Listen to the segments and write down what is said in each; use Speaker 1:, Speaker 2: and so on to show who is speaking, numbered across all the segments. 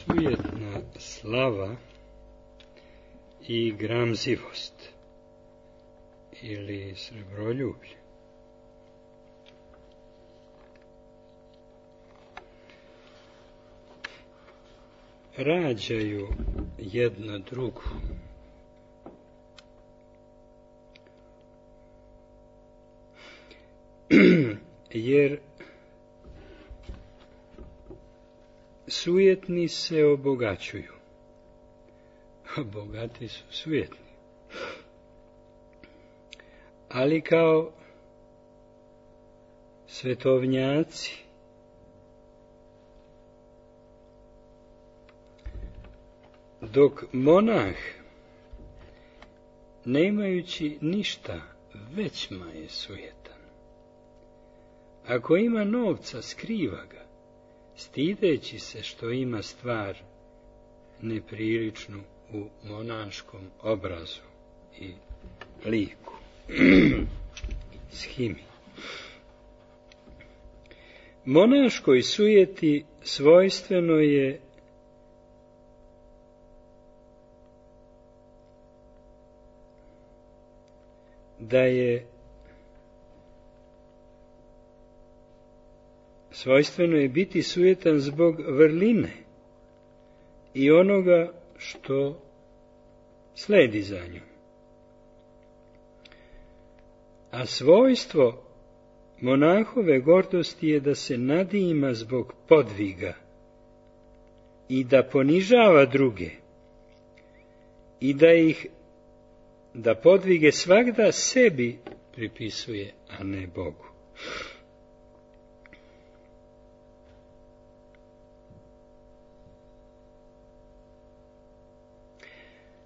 Speaker 1: sujetna slava i gramzivost ili srebroljublje. Rađaju jedna drugu. Jer sujetni se obogaćuju, a bogati su sujetni. Ali kao svetovnjaci dok monah, nemajući ništa, većma je sujetan. Ako ima novca, skriva ga, stideći se što ima stvar nepriličnu u monaškom obrazu i liku. Shimi. Monaškoj sujeti svojstveno je svojstveno je biti sujetan zbog vrline i onoga što sledi za njom. A svojstvo monahove gordosti je da se nadima zbog podviga i da ponižava druge i da podvige svagda sebi pripisuje, a ne Bogu.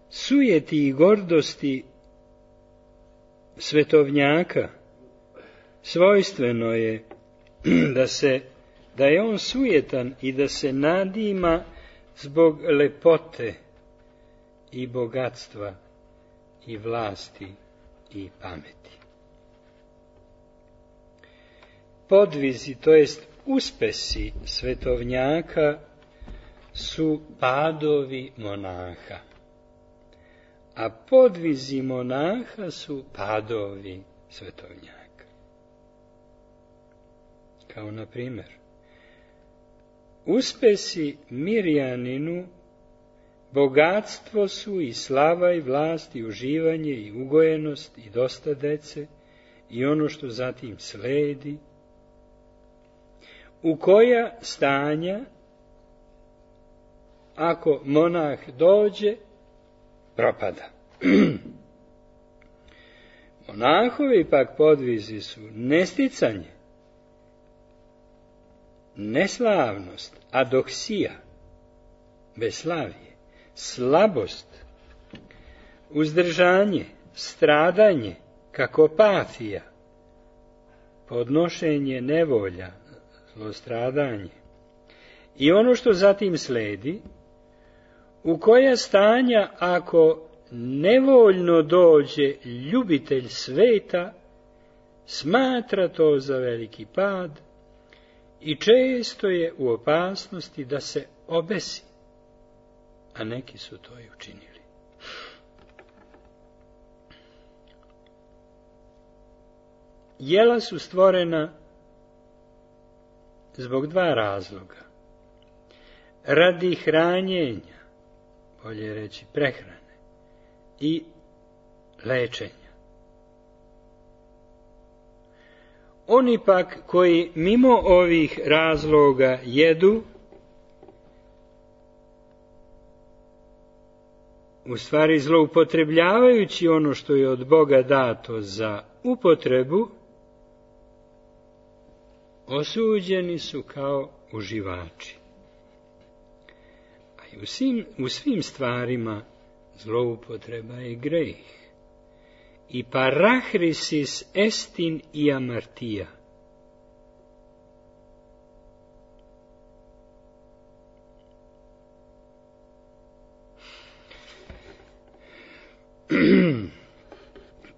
Speaker 1: Sujeti i gordosti svetovnjaka svojstveno je da je on sujetan i da se nadima zbog lepote i bogatstva i vlasti i pameti. Podvizi, to jest uspesi svetovnjaka, su padovi monaha, a podvizi monaha su padovi svetovnjaka. Kao na primjer, uspesi Mirjaninu bogatstvo su i slava i vlast i uživanje i ugojenost i dosta dece i ono što zatim sledi, u koja stanja, ako monah dođe, propada. Monahovi pak podvizi su nesticanje, neslavnost, adoksija, beslavije, slabost, uzdržanje, stradanje, kakopatija, podnošenje nevolja, zlostradanje i ono što zatim sledi, u koja stanja ako nevoljno dođe ljubitelj sveta, smatra to za veliki pad i često je u opasnosti da se obesi, a neki su to i učinili. Jela su stvorena zbog dva razloga. Radi hranjenja, bolje reći prehrane, i lečenja. Oni pak koji mimo ovih razloga jedu, u stvari zloupotrebljavajući ono što je od Boga dato za upotrebu, osuđeni su kao uživači. A i u svim stvarima zloupotreba je greh. I parahrisis estin i amartija.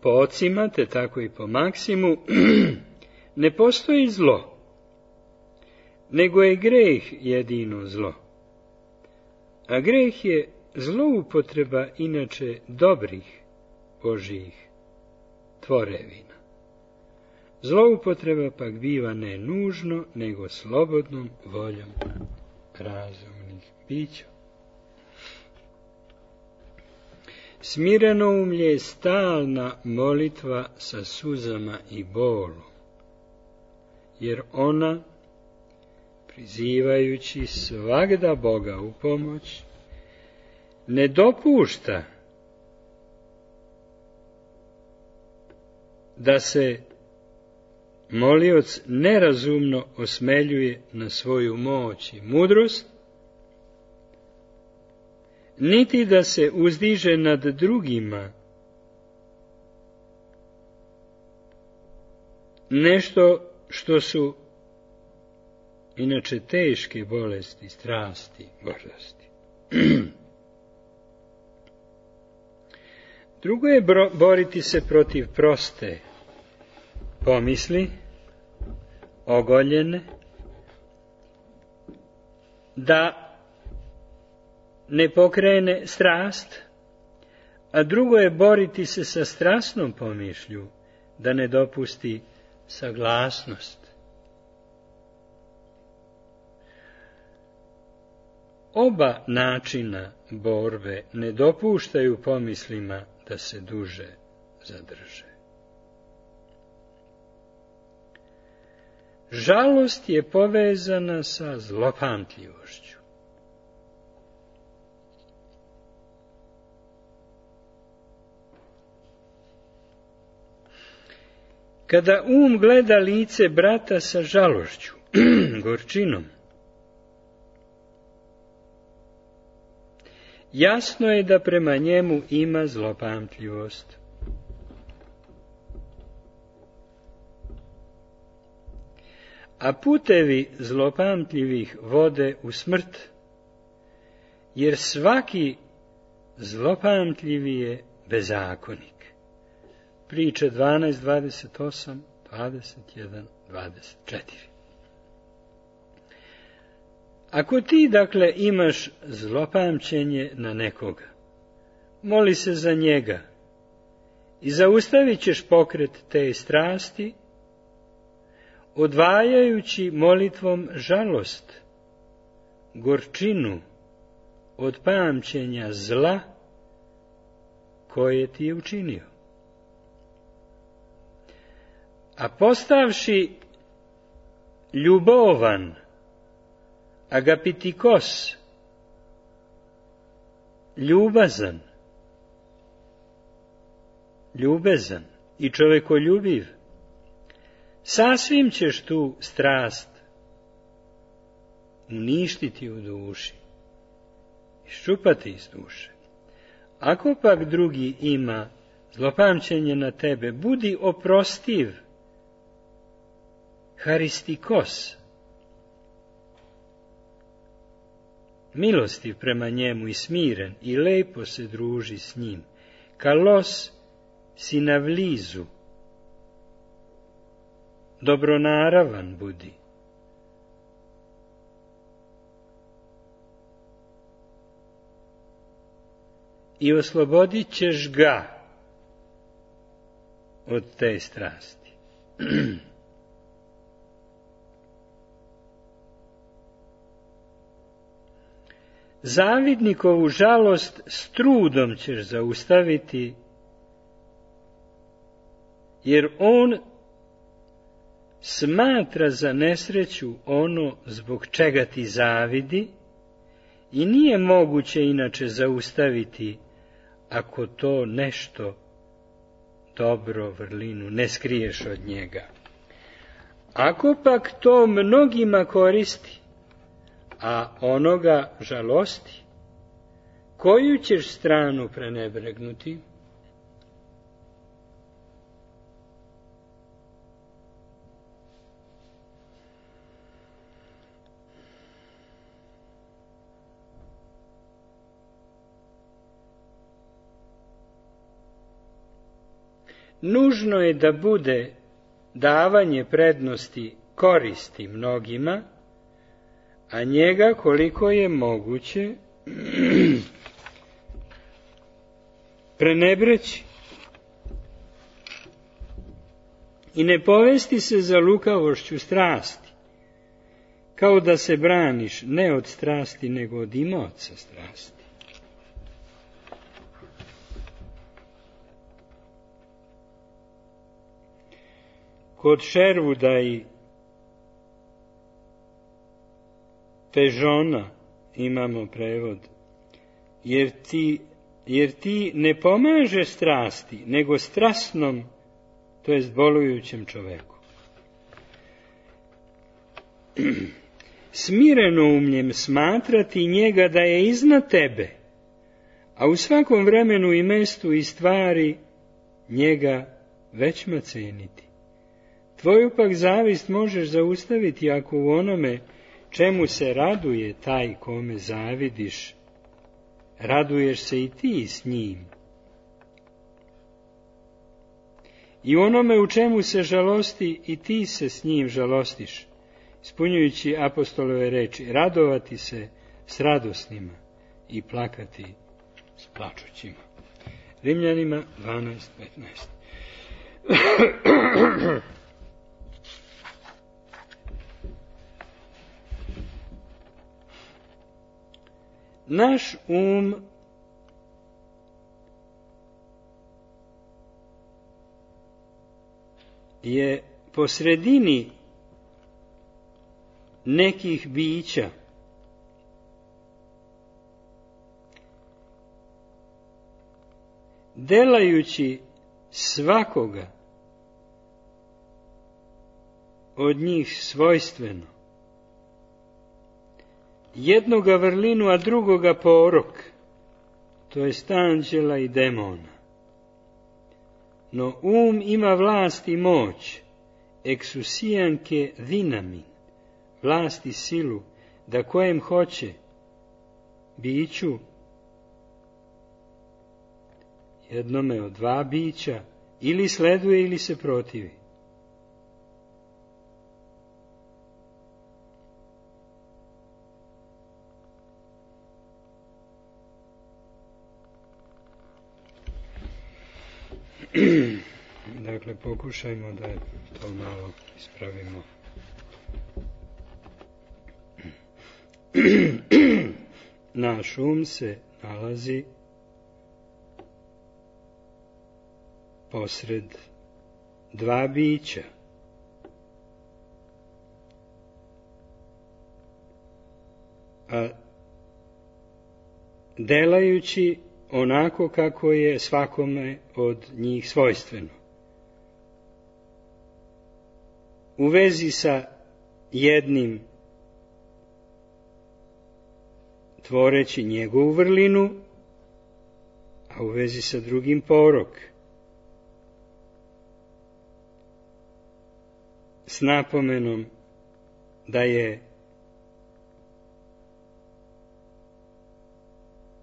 Speaker 1: Po ocima, te tako i po Maksimu, ne postoji zlo, nego je greh jedino zlo. A greh je zloupotreba inače dobrih Božjih tvorevina. Zloupotreba pak biva ne nužno, nego slobodnom voljom razumnih bića. Smirenoumlje je stalna molitva sa suzama i bolom, jer ona, prizivajući svagda Boga u pomoć, ne dopušta da se molioc nerazumno osmeljuje na svoju moć i mudrost, niti da se uzdiže nad drugima, nešto što su inače teške bolesti, strasti, gordosti. Drugo je boriti se protiv proste pomisli, ogoljene, da ne pokrene strast, a drugo je boriti se sa strasnom pomišlju, da ne dopusti saglasnost. Oba načina borbe ne dopuštaju pomislima da se duže zadrže. Žalost je povezana sa zlopamtljivošću. Kada gleda lice brata sa žalošću, gorčinom, jasno je da prema njemu ima zlopamtljivost. A putevi zlopamtljivih vode u smrt, jer svaki zlopamtljivi je bezakonik. Priče 12, 28, 21, 24. Ako ti, dakle, imaš zlopamćenje na nekoga, moli se za njega i zaustavit ćeš pokret te strasti, odvajajući molitvom žalost, gorčinu od pamćenja zla koje ti je učinio. A postavši ljubovan, agapitikos, ljubezan i čovekoljubiv, sasvim ćeš tu strast uništiti u duši, iščupati iz duše. Ako pak drugi ima zlopamćenje na tebe, budi oprostiv, haristikos, milostiv prema njemu i smiren i lepo se druži s njim, kalos sinavlizu, dobronaravan budi. I oslobodit ćeš ga od te strasti. Zavidnikovu žalost s trudom ćeš zaustaviti, jer on smatra za nesreću ono zbog čega ti zavidi i nije moguće inače zaustaviti ako to nešto dobro, vrlinu, ne skriješ od njega. Ako pak to mnogima koristi, a onoga žalosti, koju ćeš stranu prenebregnuti? Nužno je da bude davanje prednosti koristi mnogima, a njega koliko je moguće prenebreći i ne povesti se za lukavošću strasti, kao da se braniš ne od strasti, nego od imaoca strasti. Kod Sherwooda i Pežona imamo prevod, jer ti ne pomaže strasti, nego strasnom, to jest bolujućem čoveku. Smireno umljem smatrati njega da je iznad tebe, a u svakom vremenu i mestu i stvari njega većma ceniti. Tvoju pak zavist možeš zaustaviti ako u onome čemu se raduje taj kome zavidiš, raduješ se i ti s njim. I onome u čemu se žalosti i ti se s njim žalostiš, ispunjujući apostolove reči, radovati se s radosnima i plakati s plačućima. Rimljanima 12:15. Naš je po sredini nekih bića, delajući svakoga od njih svojstveno, jednoga vrlinu, a drugoga porok, to jest anđela i demona. No ima vlast i moć, exousianke dinamin, vlast i silu, da kojem hoće, biću, jednome od dva bića, ili sleduje ili se protivi. Dakle, pokušajmo da to malo ispravimo. Naš se nalazi posred dva bića. A delajući onako kako je svakome od njih svojstveno. U vezi sa jednim tvoreći njegovu vrlinu, a u vezi sa drugim porok. S napomenom da je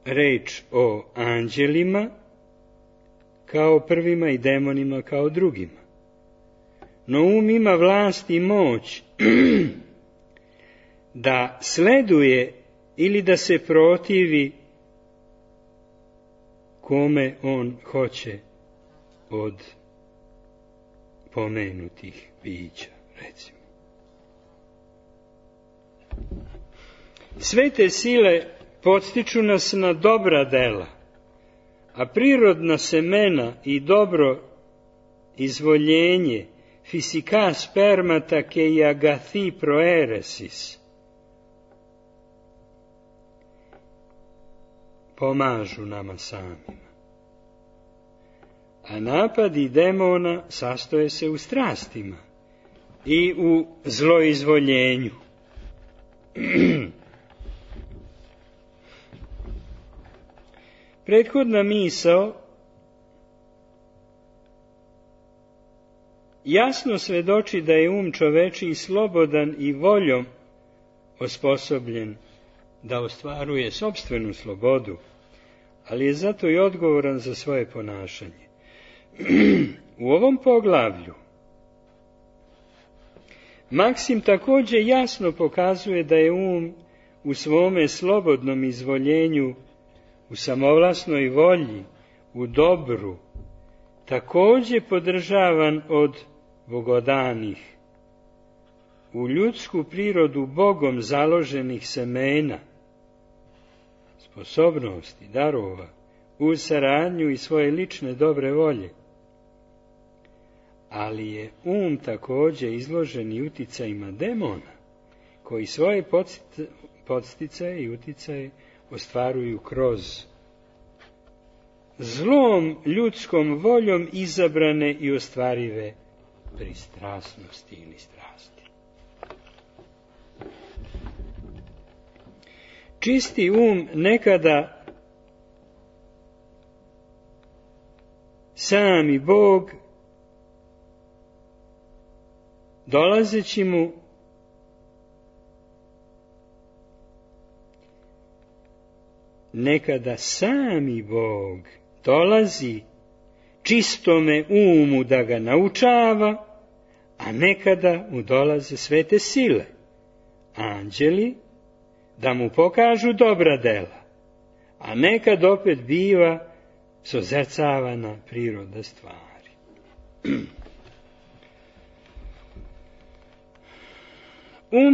Speaker 1: reč o anđelima kao prvima i demonima kao drugima. No ima vlast i moć da sleduje ili da se protivi kome on hoće od pomenutih bića, recimo. Sve te sile podstiču nas na dobra dela, a prirodna semena i dobro izvoljenje fisika spermata ke i agathi proeresis pomažu nama samima. A napadi demona sastoje se u strastima i u zloizvoljenju. Prethodna misao jasno svedoči da je čovečiji slobodan i voljom osposobljen da ostvaruje sopstvenu slobodu, ali je zato i odgovoran za svoje ponašanje. U ovom poglavlju Maksim također jasno pokazuje da je u svome slobodnom izvoljenju, u samovlasnoj volji, u dobru, također podržavan od bogodanih, u ljudsku prirodu Bogom založenih semena, sposobnosti, darova, uz saradnju i svoje lične dobre volje. Ali je također izložen i uticajima demona, koji svoje podsticaje i uticaje ostvaruju kroz zlom ljudskom voljom izabrane i ostvarive pristrasnosti ili strasti. Čisti nekada sami Bog, dolazeći mu nekada sami Bog dolazi čistome umu da ga naučava, a nekada mu dolaze svete sile, anđeli, da mu pokažu dobra dela, a nekad opet biva sozercavana priroda stvari.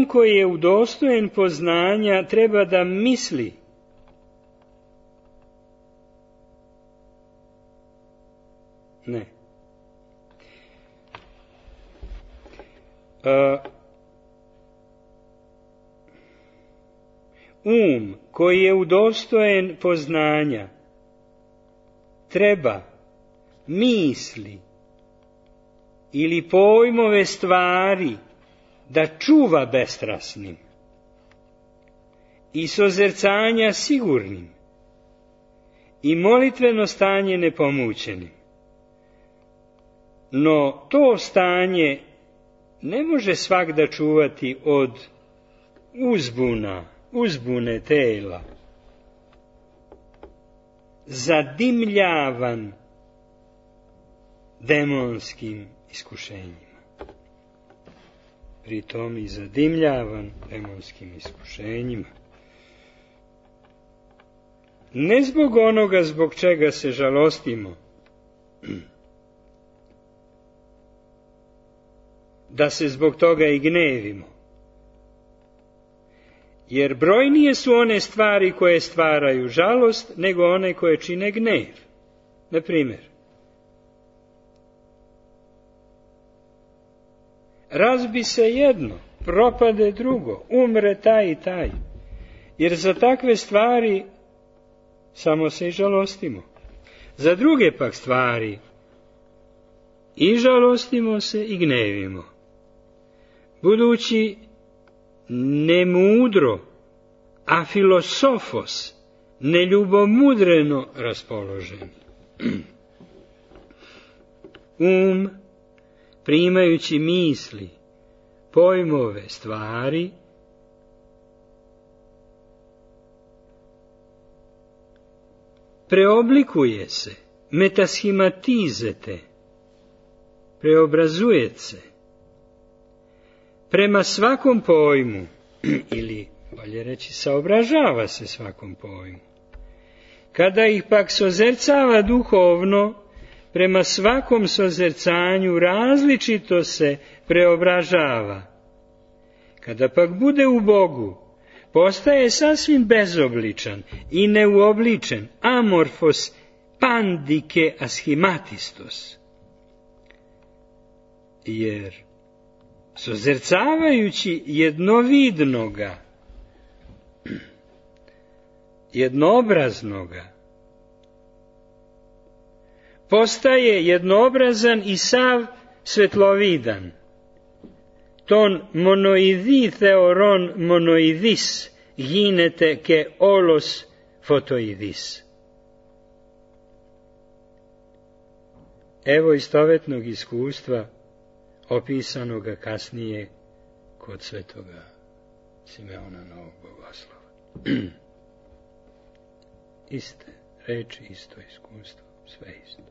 Speaker 1: Koji je udostojen poznanja treba da misli, ne. Koji je udostojen poznanja treba misli ili pojmove stvari da čuva bestrasnim i sozercanja sigurnim i molitveno stanje nepomućenim. No to stanje ne može svak da čuvati od uzbune tela, zadimljavan demonskim iskušenjima. Pritom i zadimljavan demonskim iskušenjima. Ne zbog onoga zbog čega se žalostimo, da se zbog toga i gnevimo. Jer brojnije su one stvari koje stvaraju žalost, nego one koje čine gnev. Na primjer, razbi se jedno, propade drugo, umre taj i taj. Jer za takve stvari samo se i žalostimo. Za druge pak stvari i žalostimo se i gnevimo. Budući nemudro, a filosofos, neljubomudreno raspoloženi. Primajući misli, pojmove stvari, preoblikuje se, metashimatizete, preobrazuje se, prema svakom pojmu, ili bolje reći saobražava se svakom pojmu. Kada ih pak sozercava duhovno, prema svakom sozercanju različito se preobražava. Kada pak bude u Bogu, postaje sasvim bezobličan i neuobličen, amorfos pandike aschimatistos. Jer sozercavajući jednovidnoga, jednoobraznoga, postaje jednoobrazan i sav svetlovidan. Ton monoidi theoron monoidis ginete ke olos fotoidis. Evo istovetnog iskustva opisanoga kasnije kod svetoga Simeona Novog Bogoslova. Iste reči, isto iskustvo, sve isto.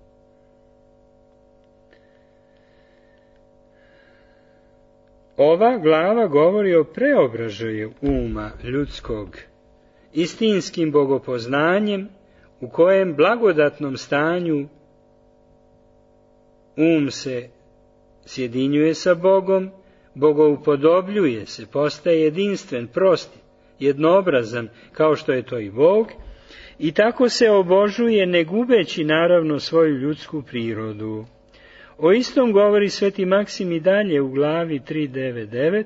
Speaker 1: Ova glava govori o preobražaju uma ljudskog istinskim bogopoznanjem, u kojem blagodatnom stanju um se sjedinjuje sa Bogom, bogoupodobljuje se, postaje jedinstven, prost, jednoobrazan, kao što je to i Bog, i tako se obožuje, ne gubeći naravno svoju ljudsku prirodu. O istom govori sveti Maksim i dalje u glavi 399,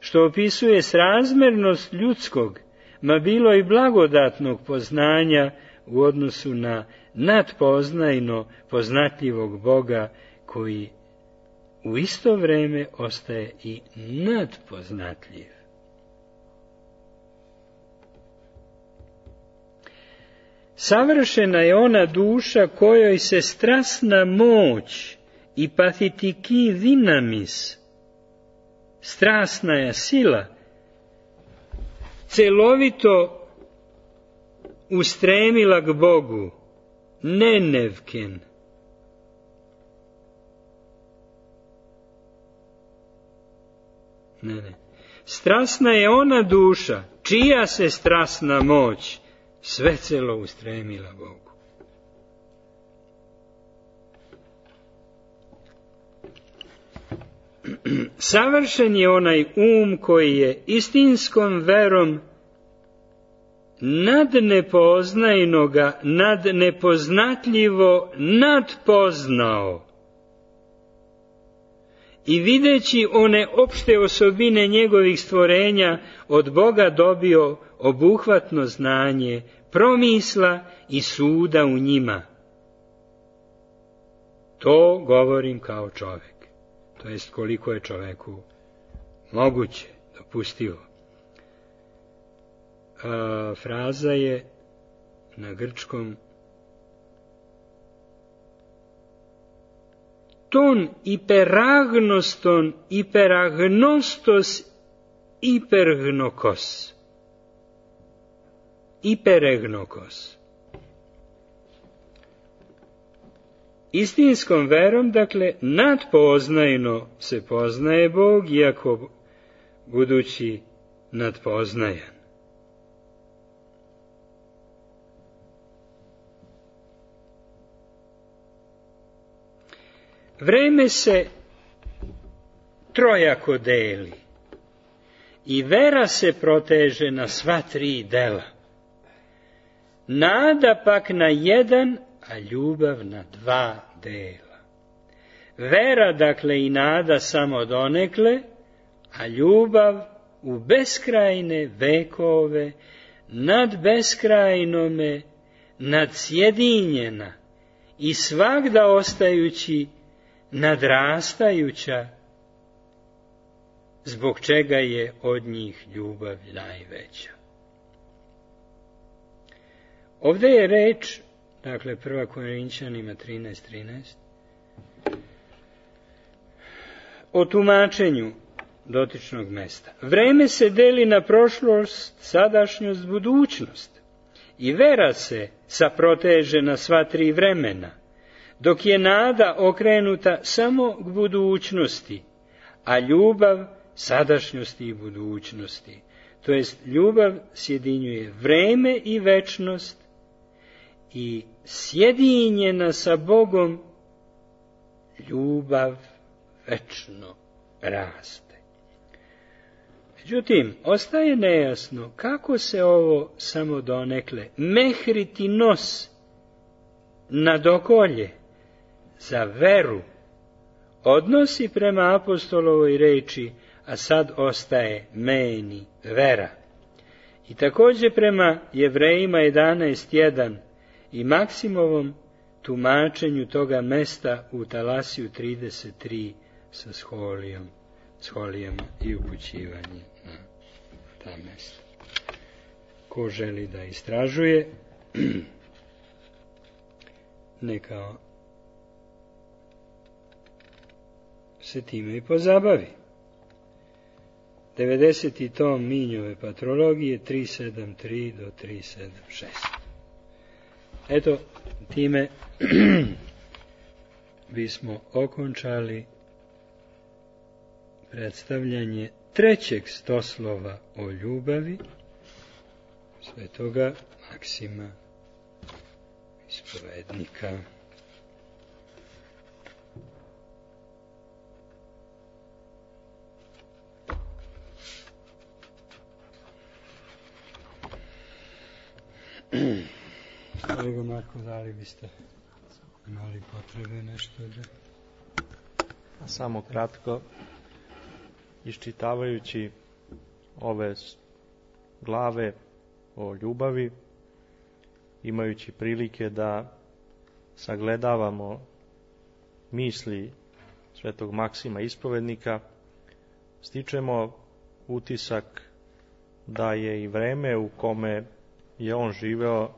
Speaker 1: što opisuje srazmernost ljudskog, ma bilo i blagodatnog poznanja u odnosu na nadpoznajno poznatljivog Boga, koji u isto vreme ostaje i nadpoznatljiv. Savršena je ona duša kojoj se strasna moć i pathitiki dinamis, strasna sila, celovito ustremila k Bogu, nenevken. Strasna je ona duša, čija se strasna moć svecelo ustremila Bogu. Savršen je onaj koji je istinskom verom nad nepoznajnoga, nad nepoznatljivo nadpoznao i videći one opšte osobine njegovih stvorenja od Boga dobio obuhvatno znanje promisla i suda u njima. To govorim kao čovjek, to jest koliko je čovjeku moguće, dopustivo. Fraza je na grčkom ton iperagnoston iperagnostos ipergnokos. Iperegnokos. Istinskom verom, dakle, nadpoznajno se poznaje Bog, iako budući nadpoznajan. Vreme se trojako deli i vera se proteže na sva tri dela. Nada pak na jedan, a ljubav na dva dela. Vera, dakle, i nada samo donekle, a ljubav u beskrajne vekove, nad beskrajnome, nadsjedinjena i svagda ostajući nadrastajuća, zbog čega je od njih ljubav najveća. Ovdje je reč, dakle, 1. Korinćanima 13:13, o tumačenju dotičnog mesta. Vreme se deli na prošlost, sadašnjost, budućnost i vera se saproteže na sva tri vremena, dok je nada okrenuta samo k budućnosti, a ljubav sadašnjosti i budućnosti. To jest, ljubav sjedinjuje vreme i večnost i sjedinjena sa Bogom ljubav večno raste. Međutim, ostaje nejasno kako se ovo samo donekle mehriti nos na dokolje za veru odnosi prema apostolovoj reči, a sad ostaje meni vera. I također prema Jevrejima 11:1 i Maksimovom tumačenju toga mesta u Talasiju 33 sa scholijama i upućivanjem na ta mesta. Ko želi da istražuje, neka se time i pozabavi. 90. tom Minjove patrologije 373 do 376. Eto, time bismo okončali predstavljanje trećeg stoslova o ljubavi svetoga Maksima ispovednika. Kolega Marko, da li biste imali potrebe nešto da...
Speaker 2: Samo kratko, iščitavajući ove glave o ljubavi, imajući prilike da sagledavamo misli svetog Maksima ispovednika, stičemo utisak da je i vreme u kome je on živeo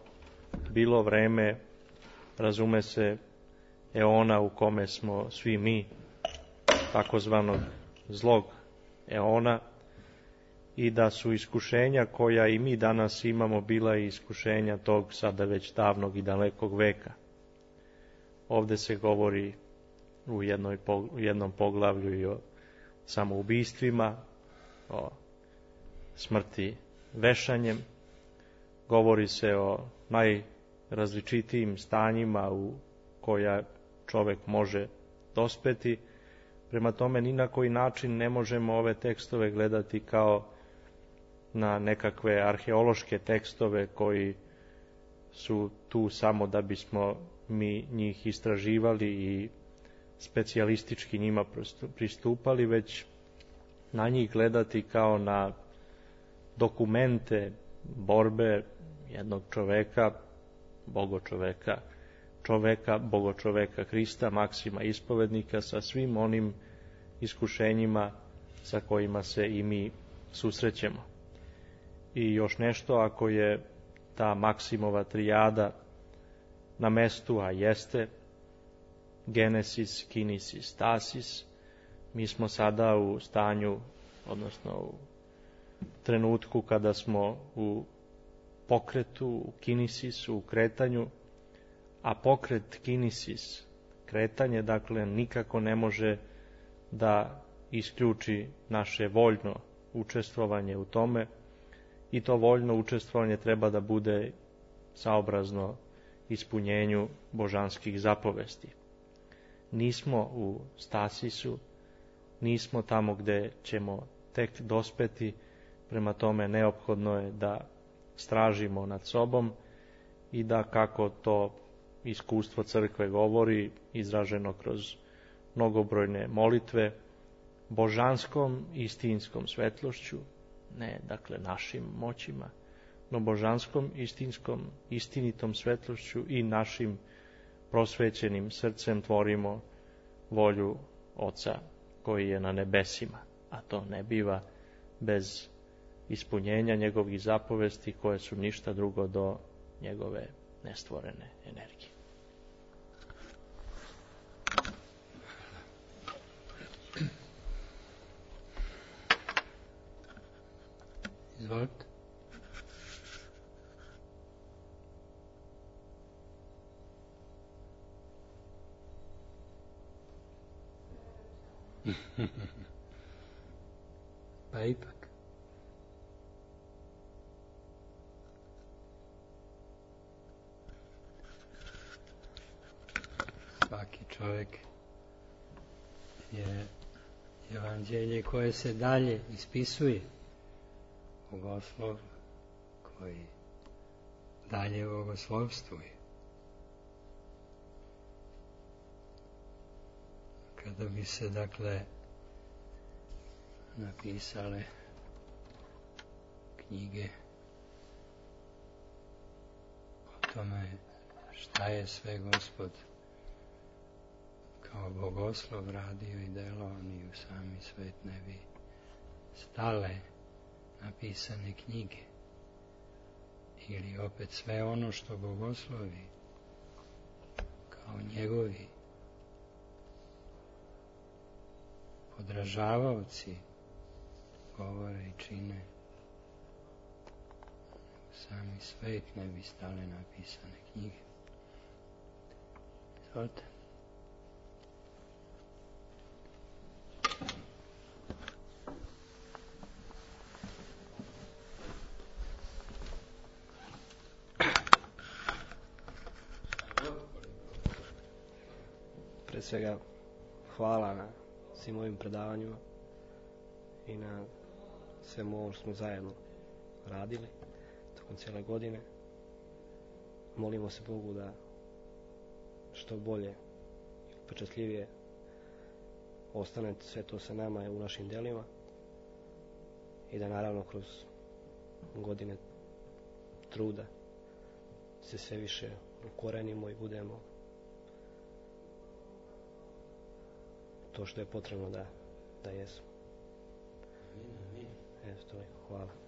Speaker 2: bilo vreme, razume se, eona u kome smo svi mi, takozvanog zlog eona, i da su iskušenja koja i mi danas imamo bila i iskušenja tog sada već davnog i dalekog veka. Ovde se govori u jednom poglavlju i o samoubistvima, o smrti vešanjem, govori se o najrazličitijim stanjima u koja čovek može dospeti. Prema tome, ni na koji način ne možemo ove tekstove gledati kao na nekakve arheološke tekstove koji su tu samo da bismo mi njih istraživali i specijalistički njima pristupali, već na njih gledati kao na dokumente borbe jednog čoveka, bogočoveka Hrista, Maksima ispovednika, sa svim onim iskušenjima sa kojima se i mi susrećemo. I još nešto, ako je ta Maksimova trijada na mestu, a jeste Genesis, Kinesis, Stasis, mi smo sada u stanju, odnosno u trenutku kada smo u pokretu, u Kinesisu, u kretanju, a pokret Kinesis, kretanje, dakle, nikako ne može da isključi naše voljno učestvovanje u tome, i to voljno učestvovanje treba da bude saobrazno ispunjenju božanskih zapovesti. Nismo u stasisu, nismo tamo gde ćemo tek dospeti, prema tome neophodno je da stražimo nad sobom i da, kako to iskustvo crkve govori, izraženo kroz mnogobrojne molitve, božanskom istinskom svetlošću, ne dakle našim moćima, no božanskom istinitom svetlošću i našim prosvećenim srcem tvorimo volju Oca koji je na nebesima, a to ne biva bez ispunjenja njegovih zapovesti koje su ništa drugo do njegove nestvorene energije.
Speaker 1: Izvolite. Pa ipak. Svaki čovjek je evanđelje koje se dalje ispisuje, bogoslov koji dalje bogoslovstvuje. Kada bi se, dakle, napisale knjige o tome šta je sve Gospod kao bogoslov radio i delo, ni u sami svet ne bi stale napisane knjige. Ili opet sve ono što bogoslovi kao njegovi podražavaoci govore i čine, u sami svet ne bi stale napisane knjige. Izvolite.
Speaker 3: svega hvala na svim ovim predavanjima i na svemu ovo što smo zajedno radili tokom cijele godine. Molimo se Bogu da što bolje i upečatljivije ostane sve to sa nama u našim delima i da naravno kroz godine truda se sve više ukorenimo i budemo to što je potrebno da jesmo. Eto, hvala.